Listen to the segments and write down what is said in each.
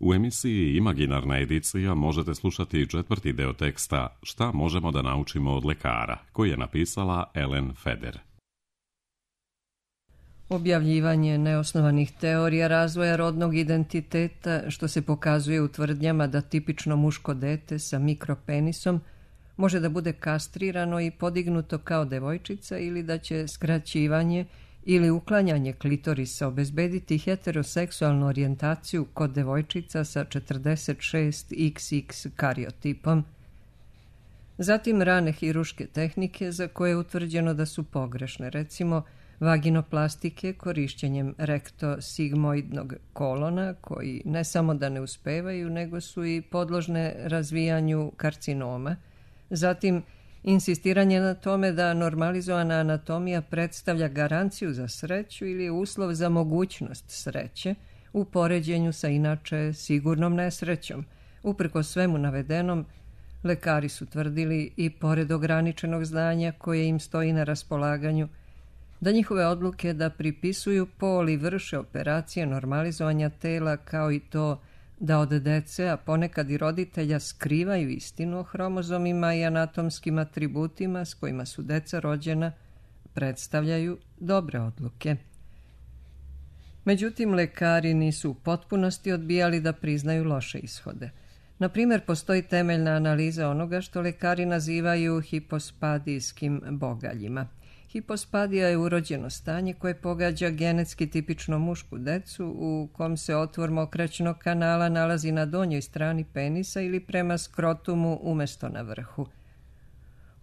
U emisiji Imaginarna edicija možete slušati 4. deo teksta Šta možemo da naučimo od lekara, koji je napisala Ellen Feder. Objavljivanje neosnovanih teorija razvoja rodnog identiteta, što se pokazuje u tvrdnjama da tipično muško dete sa mikropenisom može da bude kastrirano i podignuto kao devojčica ili da će skraćivanje ili uklanjanje klitorisa obezbediti heteroseksualnu orijentaciju kod devojčica sa 46XX kariotipom. Zatim rane hiruške tehnike za koje je utvrđeno da su pogrešne, recimo vaginoplastike korišćenjem rektosigmoidnog kolona, koji ne samo da ne uspevaju, nego su i podložne razvijanju karcinoma. Zatim insistiranje na tome da normalizovana anatomija predstavlja garanciju za sreću ili uslov za mogućnost sreće u poređenju sa inače sigurnom nesrećom. Uprkos svemu navedenom, lekari su tvrdili i pored ograničenog znanja koje im stoji na raspolaganju, da njihove odluke da pripisuju pol i vrše operacije normalizovanja tela kao i to da od dece, a ponekad i roditelja, skrivaju istinu o hromozomima i anatomskim atributima s kojima su deca rođena, predstavljaju dobre odluke. Međutim, lekari nisu u potpunosti odbijali da priznaju loše ishode. Na primjer, postoji temeljna analiza onoga što lekari nazivaju hipospadijskim bogaljima. Hipospadija je urođeno stanje koje pogađa genetski tipično mušku decu u kom se otvor mokraćnog kanala nalazi na donjoj strani penisa ili prema skrotumu umjesto na vrhu.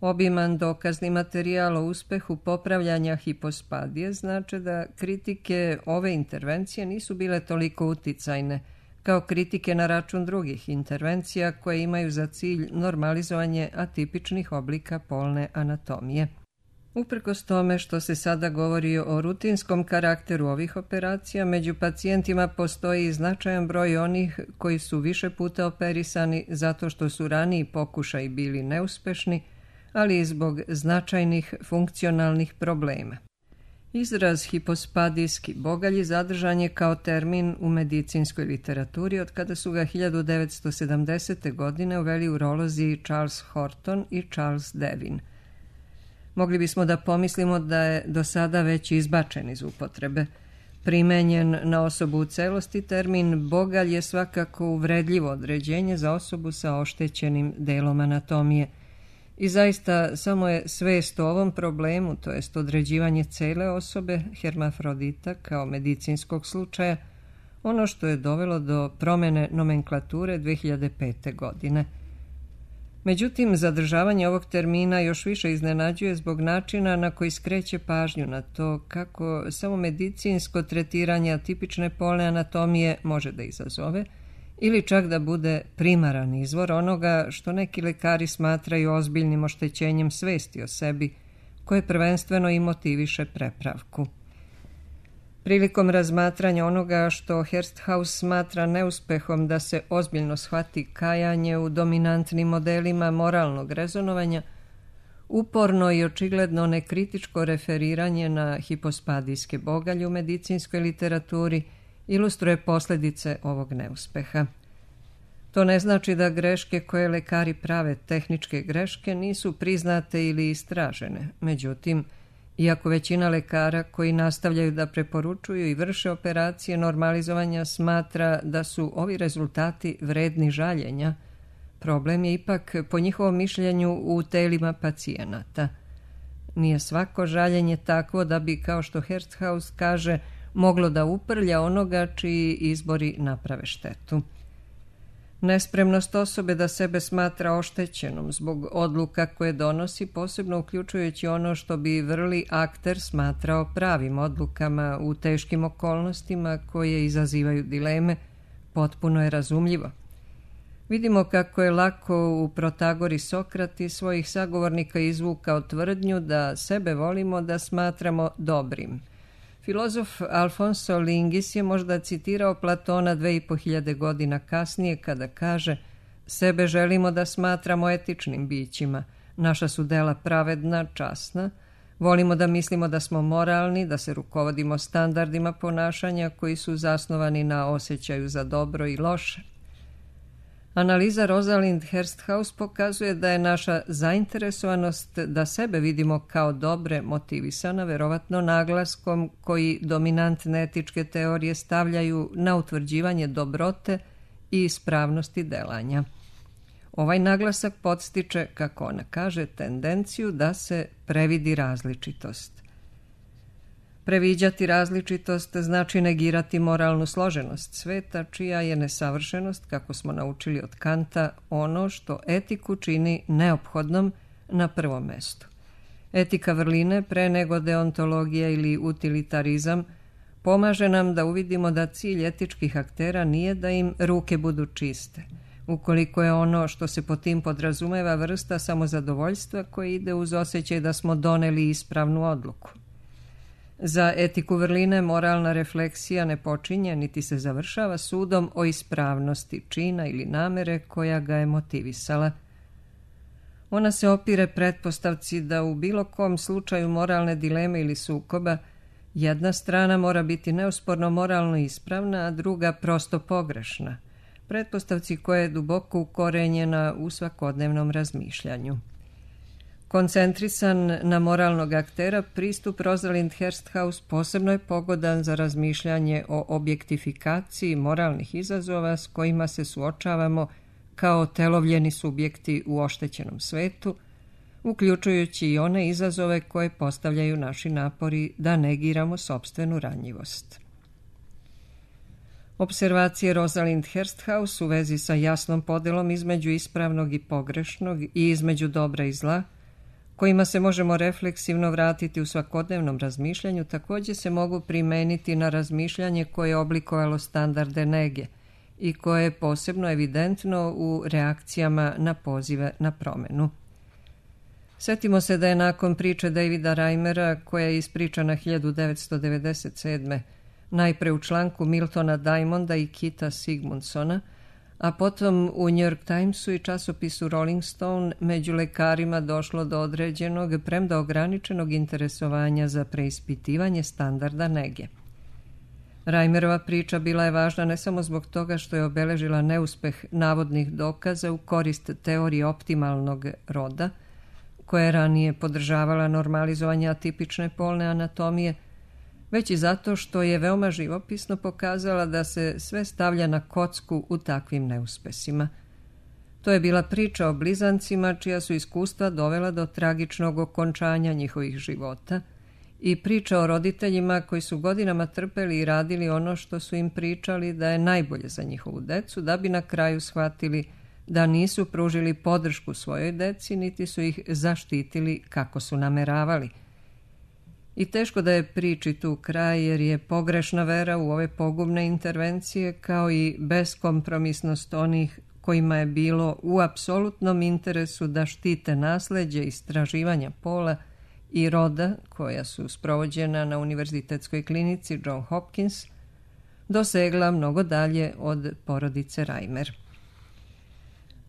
Obiman dokazni materijal o uspehu popravljanja hipospadije znači da kritike ove intervencije nisu bile toliko uticajne kao kritike na račun drugih intervencija koje imaju za cilj normalizovanje atipičnih oblika polne anatomije. Uprkos tome što se sada govori o rutinskom karakteru ovih operacija, među pacijentima postoji značajan broj onih koji su više puta operisani zato što su raniji pokušaji bili neuspešni, ali i zbog značajnih funkcionalnih problema. Izraz hipospadijski bogalji zadržan je kao termin u medicinskoj literaturi od kada su ga 1970. godine uveli urolozi Charles Horton i Charles Devin. Mogli bismo da pomislimo da je do sada već izbačen iz upotrebe. Primenjen na osobu u celosti, termin bogalj je svakako uvredljivo određenje za osobu sa oštećenim delom anatomije. I zaista samo je svest o ovom problemu, to jest određivanje cele osobe, hermafrodita, kao medicinskog slučaja, ono što je dovelo do promjene nomenklature 2005. godine. Međutim, zadržavanje ovog termina još više iznenađuje zbog načina na koji skreće pažnju na to kako samo medicinsko tretiranje atipične polne anatomije može da izazove ili čak da bude primaran izvor onoga što neki lekari smatraju ozbiljnim oštećenjem svesti o sebi, koje prvenstveno i motiviše prepravku. Prilikom razmatranja onoga što Hersthaus smatra neuspehom da se ozbiljno shvati kajanje u dominantnim modelima moralnog rezonovanja, uporno i očigledno nekritičko referiranje na hipospadijske bogalje u medicinskoj literaturi ilustruje posljedice ovog neuspeha. To ne znači da greške koje lekari prave, tehničke greške, nisu priznate ili istražene. Međutim, iako većina lekara koji nastavljaju da preporučuju i vrše operacije normalizovanja smatra da su ovi rezultati vredni žaljenja, problem je ipak, po njihovom mišljenju, u telima pacijenata. Nije svako žaljenje takvo da bi, kao što Hersthaus kaže, moglo da uprlja onoga čiji izbori naprave štetu. Nespremnost osobe da sebe smatra oštećenom zbog odluka koje donosi, posebno uključujući ono što bi vrli akter smatrao pravim odlukama u teškim okolnostima koje izazivaju dileme, potpuno je razumljivo. Vidimo kako je lako u Protagori Sokrat iz svojih sagovornika izvukao tvrdnju da sebe volimo da smatramo dobrim. Filozof Alfonso Lingis je možda citirao Platona 2500 godina kasnije kada kaže: sebe želimo da smatramo etičnim bićima, naša su dela pravedna, časna, Volimo da mislimo da smo moralni, da se rukovodimo standardima ponašanja koji su zasnovani na osjećaju za dobro i loše. Analiza Rosalind Hursthouse pokazuje da je naša zainteresovanost da sebe vidimo kao dobre motivisana verovatno naglaskom koji dominantne etičke teorije stavljaju na utvrđivanje dobrote i ispravnosti delanja. Ovaj naglasak podstiče, kako ona kaže, tendenciju da se previdi različitost. Previđati različitost znači negirati moralnu složenost sveta, čija je nesavršenost, kako smo naučili od Kanta, ono što etiku čini neophodnom na prvom mestu. Etika vrline, pre nego deontologija ili utilitarizam, pomaže nam da uvidimo da cilj etičkih aktera nije da im ruke budu čiste, ukoliko je ono što se pod tim podrazumeva vrsta samozadovoljstva koje ide uz osjećaj da smo doneli ispravnu odluku. Za etiku vrline moralna refleksija ne počinje niti se završava sudom o ispravnosti čina ili namere koja ga je motivisala. Ona se opire pretpostavci da u bilo kom slučaju moralne dileme ili sukoba jedna strana mora biti neosporno moralno ispravna, a druga prosto pogrešna. Pretpostavci koja je duboko ukorenjena u svakodnevnom razmišljanju. Koncentrisan na moralnog aktera, pristup Rosalind Hursthouse posebno je pogodan za razmišljanje o objektifikaciji moralnih izazova s kojima se suočavamo kao telovljeni subjekti u oštećenom svetu, uključujući i one izazove koje postavljaju naši napori da negiramo sopstvenu ranjivost. Observacije Rosalind Hursthouse u vezi sa jasnom podelom između ispravnog i pogrešnog i između dobra i zla, kojima se možemo refleksivno vratiti u svakodnevnom razmišljanju, također se mogu primeniti na razmišljanje koje je oblikovalo standarde nege i koje je posebno evidentno u reakcijama na pozive na promenu. Sjetimo se da je nakon priče Davida Reimera, koja je ispričana 1997. najpre u članku Miltona Diamonda i Kita Sigmundsona, a potom u New York Timesu i časopisu Rolling Stone među lekarima došlo do određenog, premda ograničenog interesovanja za preispitivanje standarda nege. Reimerova priča bila je važna ne samo zbog toga što je obeležila neuspeh navodnih dokaza u korist teorije optimalnog roda, koja je ranije podržavala normalizovanje atipične polne anatomije, već i zato što je veoma živopisno pokazala da se sve stavlja na kocku u takvim neuspesima. To je bila priča o blizancima čija su iskustva dovela do tragičnog okončanja njihovih života i priča o roditeljima koji su godinama trpeli i radili ono što su im pričali da je najbolje za njihovu decu, da bi na kraju shvatili da nisu pružili podršku svojoj deci, niti su ih zaštitili kako su nameravali. I teško da je priči tu kraj, jer je pogrešna vera u ove pogubne intervencije kao i beskompromisnost onih kojima je bilo u apsolutnom interesu da štite nasleđe istraživanja pola i roda koja su sprovođena na univerzitetskoj klinici John Hopkins, dosegla mnogo dalje od porodice Reimer.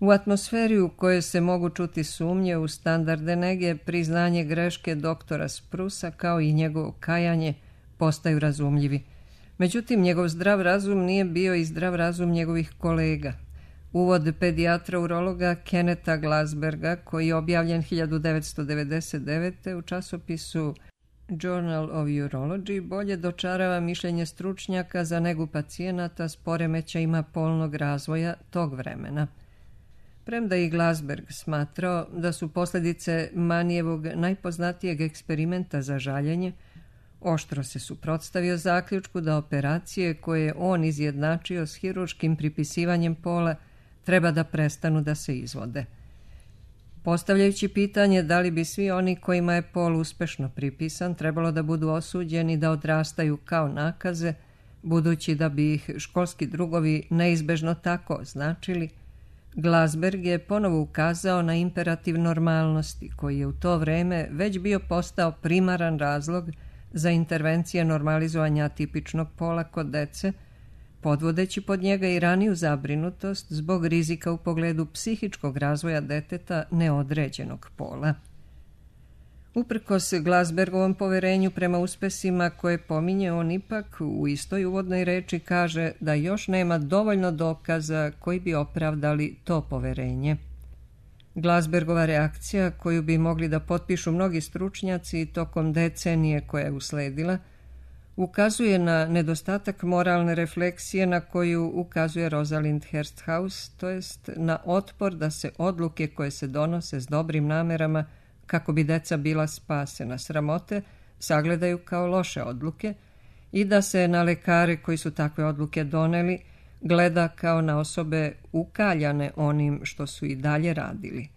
U atmosferi u kojoj se mogu čuti sumnje u standarde nege, priznanje greške doktora Sprusa kao i njegovo kajanje postaju razumljivi. Međutim, njegov zdrav razum nije bio i zdrav razum njegovih kolega. Uvod pedijatra-urologa Kennetha Glasberga, koji je objavljen 1999. u časopisu Journal of Urology, bolje dočarava mišljenje stručnjaka za negu pacijenata s poremećajima polnog razvoja tog vremena. Premda i Glasberg smatrao da su posljedice Manijevog najpoznatijeg eksperimenta za žaljenje, oštro se suprotstavio zaključku da operacije koje je on izjednačio s hirurškim pripisivanjem pola treba da prestanu da se izvode. Postavljajući pitanje da li bi svi oni kojima je pol uspešno pripisan trebalo da budu osuđeni da odrastaju kao nakaze, budući da bi ih školski drugovi neizbežno tako označili, Glasberg je ponovo ukazao na imperativ normalnosti, koji je u to vreme već bio postao primaran razlog za intervencije normalizovanja atipičnog pola kod dece, podvodeći pod njega i raniju zabrinutost zbog rizika u pogledu psihičkog razvoja deteta neodređenog pola. Uprkos Glasbergovom poverenju prema uspesima koje pominje, on ipak u istoj uvodnoj reči kaže da još nema dovoljno dokaza koji bi opravdali to poverenje. Glasbergova reakcija, koju bi mogli da potpišu mnogi stručnjaci tokom decenije koja je usledila, ukazuje na nedostatak moralne refleksije na koju ukazuje Rosalind Hursthouse, to jest na otpor da se odluke koje se donose s dobrim namerama kako bi deca bila spasena sramote sagledaju kao loše odluke i da se na lekare koji su takve odluke doneli gleda kao na osobe ukaljane onim što su i dalje radili.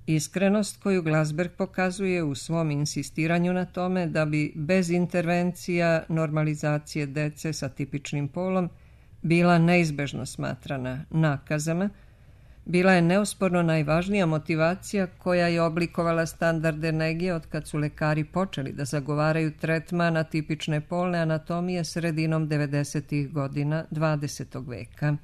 Iskrenost koju Glasberg pokazuje u svom insistiranju na tome da bi bez intervencija normalizacije dece sa tipičnim polom bila neizbežno smatrana nakazama, bila je neosporno najvažnija motivacija koja je oblikovala standarde nege od kad su lekari počeli da zagovaraju tretman atipične polne anatomije sredinom 90. godina 20. veka.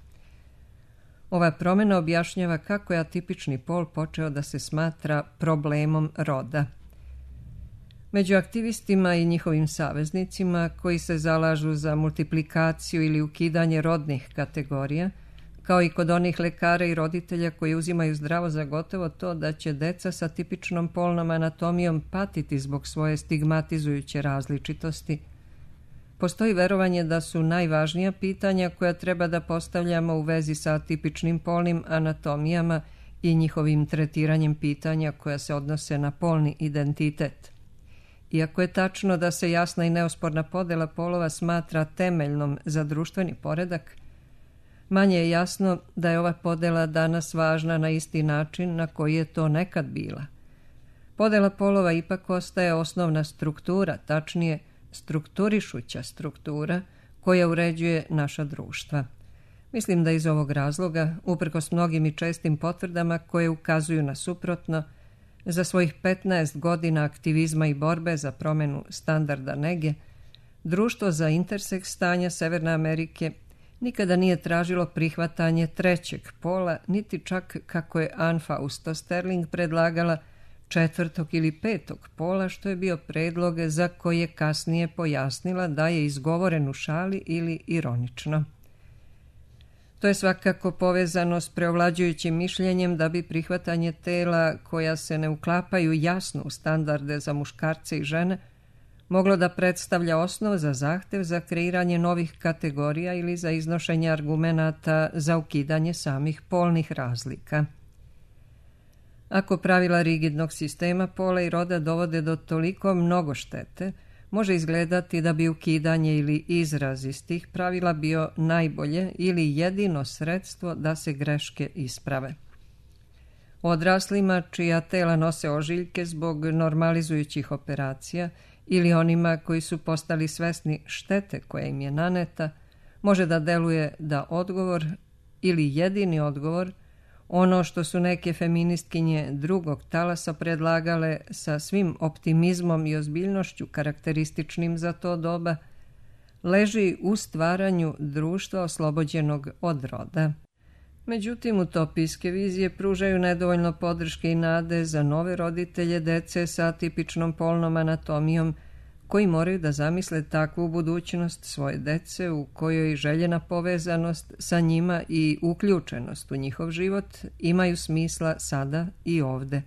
Ova promjena objašnjava kako je atipični pol počeo da se smatra problemom roda. Među aktivistima i njihovim saveznicima koji se zalažu za multiplikaciju ili ukidanje rodnih kategorija, kao i kod onih lekara i roditelja koji uzimaju zdravo za gotovo to da će deca sa tipičnom polnom anatomijom patiti zbog svoje stigmatizujuće različitosti, postoji verovanje da su najvažnija pitanja koja treba da postavljamo u vezi sa atipičnim polnim anatomijama i njihovim tretiranjem pitanja koja se odnose na polni identitet. Iako je tačno da se jasna i neosporna podela polova smatra temeljnom za društveni poredak, manje je jasno da je ova podela danas važna na isti način na koji je to nekad bila. Podela polova ipak ostaje osnovna struktura, tačnije strukturišuća struktura koja uređuje naša društva. Mislim da iz ovog razloga, uprkos mnogim i čestim potvrdama koje ukazuju na suprotno, za svojih 15 godina aktivizma i borbe za promjenu standarda nege, Društvo za interseks stanja Severne Amerike nikada nije tražilo prihvatanje trećeg pola, niti čak, kako je Ann Fausto Sterling predlagala, četvrtog ili petog pola, što je bio predlog za koji je kasnije pojasnila da je izgovoren u šali ili ironično. To je svakako povezano s preovlađujućim mišljenjem da bi prihvatanje tela koja se ne uklapaju jasno u standarde za muškarce i žene moglo da predstavlja osnov za zahtev za kreiranje novih kategorija ili za iznošenje argumenata za ukidanje samih polnih razlika. Ako pravila rigidnog sistema pola i roda dovode do toliko mnogo štete, može izgledati da bi ukidanje ili izraz iz tih pravila bio najbolje ili jedino sredstvo da se greške isprave. Odraslima čija tela nose ožiljke zbog normalizujućih operacija ili onima koji su postali svesni štete koja im je naneta, može da deluje da odgovor ili jedini odgovor, ono što su neke feministkinje drugog talasa predlagale sa svim optimizmom i ozbiljnošću karakterističnim za to doba, leži u stvaranju društva oslobođenog od roda. Međutim, utopijske vizije pružaju nedovoljno podrške i nade za nove roditelje dece sa atipičnom polnom anatomijom, koji moraju da zamisle takvu budućnost svoje dece u kojoj željena povezanost sa njima i uključenost u njihov život imaju smisla sada i ovde.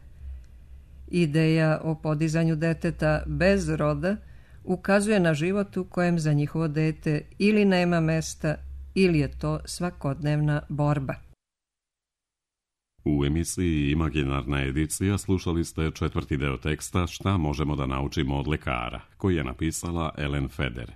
Ideja o podizanju deteta bez roda ukazuje na život u kojem za njihovo dete ili nema mesta ili je to svakodnevna borba. U emisiji Imaginarna edicija slušali ste četvrti deo teksta Šta možemo da naučimo od lekara, koji je napisala Ellen Feder.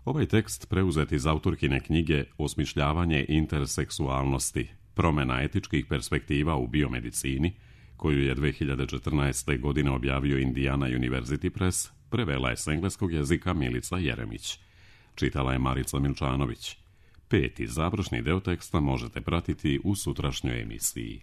Ovaj tekst preuzet iz autorkine knjige Osmišljavanje interseksualnosti, promjena etičkih perspektiva u biomedicini, koju je 2014. godine objavio Indiana University Press, prevela je s engleskog jezika Milica Jeremić. Čitala je Marica Milčanović. 5. završni deo teksta možete pratiti u sutrašnjoj emisiji.